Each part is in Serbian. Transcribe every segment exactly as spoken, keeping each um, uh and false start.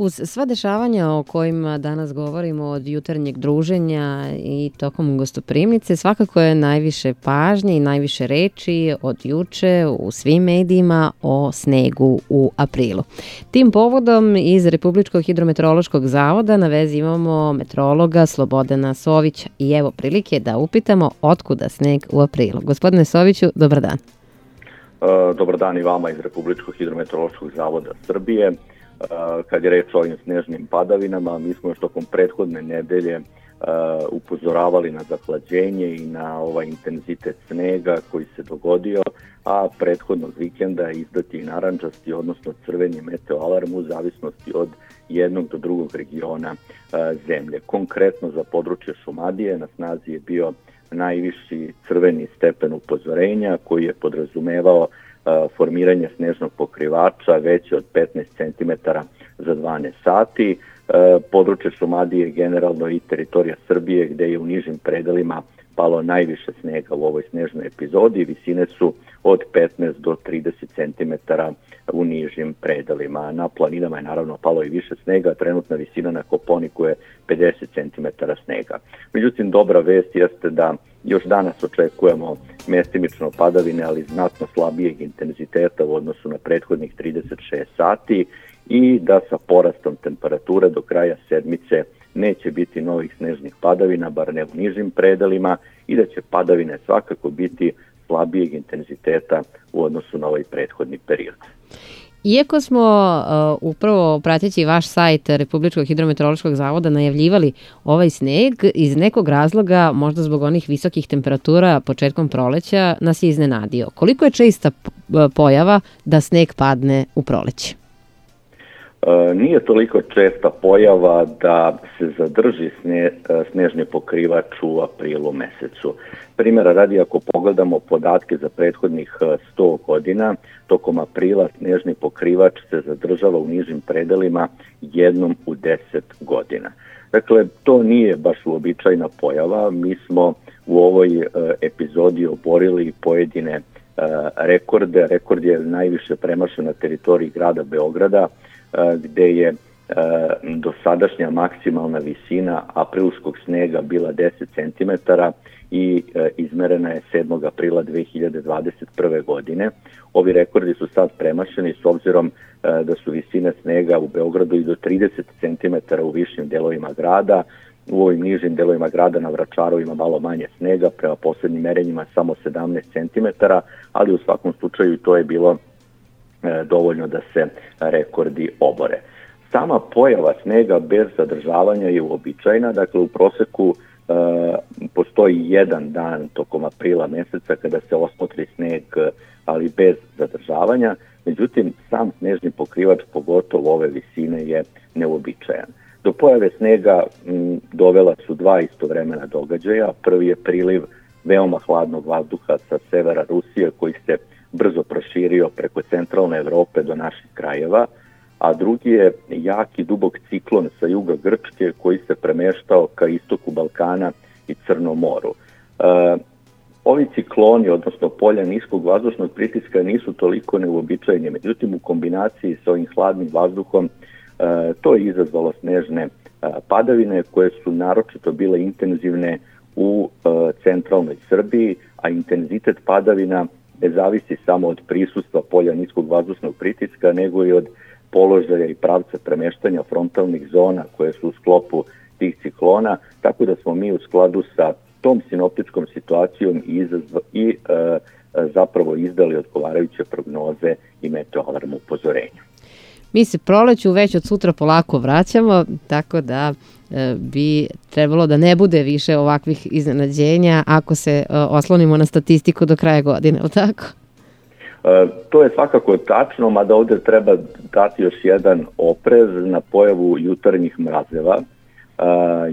Uz sva dešavanja o kojima danas govorimo, od jutarnjeg druženja i tokom gostoprimnice, svakako je najviše pažnje i najviše reči od juče u svim medijima o snegu u aprilu. Tim povodom iz Republičkog hidrometeorološkog zavoda na vezi imamo meteorologa Slobodana Sovića i evo prilike da upitamo otkuda sneg u aprilu. Gospodine Soviću, dobar dan. Dobar dan i vama iz Republičkog hidrometeorološkog zavoda Srbije. Kad je reč o ovim snežnim padavinama, mi smo još tokom prethodne nedelje upozoravali na zahlađenje i na ovaj intenzitet snega koji se dogodio, a prethodnog vikenda izdati i narandžasti, odnosno crveni meteoalarm u zavisnosti od jednog do drugog regiona zemlje. Konkretno za područje Šumadije na snazi je bio najviši crveni stepen upozorenja koji je podrazumevao formiranje snežnog pokrivača veće od petnaest centimetara za dvanaest sati. Područje Šumadije generalno i teritorija Srbije gde je u nižim predelima palo najviše snega u ovoj snežnoj epizodi. Visine su od petnaest do trideset centimetara u nižim predelima. Na planinama je naravno palo i više snega, trenutna visina na Koponiku je pedeset centimetara snega. Međutim, dobra vest jeste da još danas očekujemo mestimično padavine, ali znatno slabijeg intenziteta u odnosu na prethodnih trideset šest sati i da sa porastom temperature do kraja sedmice neće biti novih snežnih padavina, bar ne u nižim predelima, i da će padavine svakako biti slabijeg intenziteta u odnosu na ovaj prethodni period. Iako smo uh, upravo prateći vaš sajt Republičkog hidrometeorološkog zavoda najavljivali ovaj sneg, iz nekog razloga, možda zbog onih visokih temperatura početkom proleća, nas je iznenadio. Koliko je česta pojava da sneg padne u proleće? E, nije toliko česta pojava da se zadrži sne, snežni pokrivač u aprilu mesecu. Primjera radi, ako pogledamo podatke za prethodnih sto godina, tokom aprila snežni pokrivač se zadržava u nižim predelima jednom u deset godina. Dakle, to nije baš uobičajna pojava. Mi smo u ovoj epizodi oborili pojedine rekorde. Rekord je najviše premašen na teritoriji grada Beograda, gde je dosadašnja maksimalna visina aprilskog snega bila deset centimetara i izmerena je sedmog aprila dve hiljade dvadeset prve. godine. Ovi rekordi su sad premašeni s obzirom da su visine snega u Beogradu i do trideset centimetara u višim delovima grada. U ovim nižim delovima grada na Vračaru ima malo manje snega, prema poslednjim merenjima samo sedamnaest centimetara, ali u svakom slučaju to je bilo dovoljno da se rekordi obore. Sama pojava snega bez zadržavanja je uobičajena, dakle u proseku e, postoji jedan dan tokom aprila meseca kada se osmotri sneg, ali bez zadržavanja, međutim sam snežni pokrivač, pogotovo ove visine, je neuobičajan. Do pojave snega m, dovela su dva istovremena događaja. Prvi je priliv veoma hladnog vazduha sa severa Rusije koji se brzo proširio preko centralne Evrope do naših krajeva, a drugi je jaki dubok ciklon sa juga Grčke koji se premeštao ka istoku Balkana i Crnom moru. E, ovi cikloni, odnosno polja niskog vazdušnog pritiska, nisu toliko neuobičajeni, međutim u kombinaciji sa ovim hladnim vazduhom e, to je izazvalo snežne e, padavine koje su naročito bile intenzivne u e, centralnoj Srbiji, a intenzitet padavina ne zavisi samo od prisustva polja niskog vazdušnog pritiska, nego i od položaja i pravca premeštanja frontalnih zona koje su u sklopu tih ciklona, tako da smo mi u skladu sa tom sinoptičkom situacijom i, izazva, i e, zapravo izdali odgovarajuće prognoze i meteoalarm upozorenja. Mi se proleću već od sutra polako vraćamo, tako da e, bi trebalo da ne bude više ovakvih iznenađenja ako se e, oslonimo na statistiku do kraja godine, je li tako? E, to je svakako tačno, mada ovde treba dati još jedan oprez na pojavu jutarnjih mrazeva. E,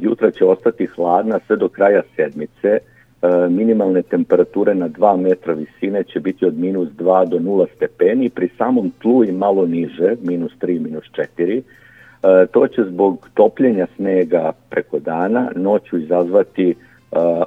jutra će ostati hladna sve do kraja sedmice. E, minimalne temperature na dva metra visine će biti od minus dva do nula stepeni, pri samom tlu i malo niže, minus tri, minus četiri. E, to će zbog topljenja snega preko dana noću izazvati e,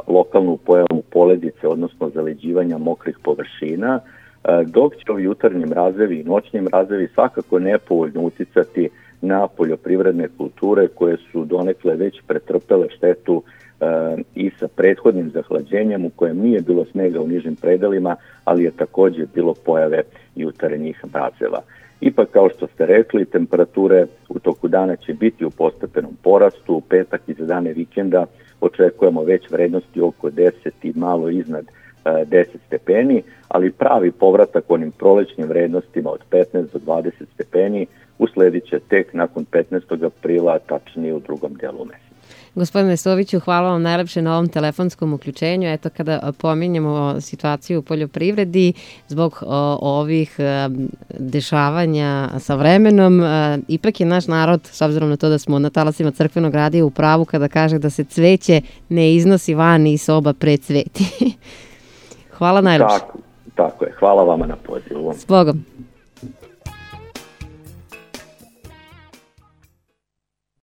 lokalnu pojavu poledice, odnosno zaleđivanja mokrih površina, e, dok će ovi jutarnji mrazevi i noćni mrazevi svakako nepovoljno uticati na poljoprivredne kulture koje su donekle već pretrpele štetu e, i sa prethodnim zahlađenjem u kojem nije bilo snega u nižim predelima, ali je također bilo pojave jutarnjih mrazeva. Ipak, kao što ste rekli, temperature u toku dana će biti u postepenom porastu. U petak i za dane vikenda očekujemo već vrednosti oko deset i malo iznad deset stepeni, ali pravi povratak onim prolećnim vrednostima od petnaest do dvadeset stepeni usledit će tek nakon petnaestog aprila, tačnije u drugom delu meseca. Gospodine Soviću, hvala vam najlepše na ovom telefonskom uključenju. Eto, kada pominjemo situaciju u poljoprivredi zbog o, ovih a, dešavanja sa vremenom, a, ipak je naš narod, s obzirom na to da smo na talasima crkvenog radija, u pravu kada kaže da se cveće ne iznosi van iz soba pred cveti. Hvala najlepše. Tako, tako je. Hvala vama na pozivu. S Bogom.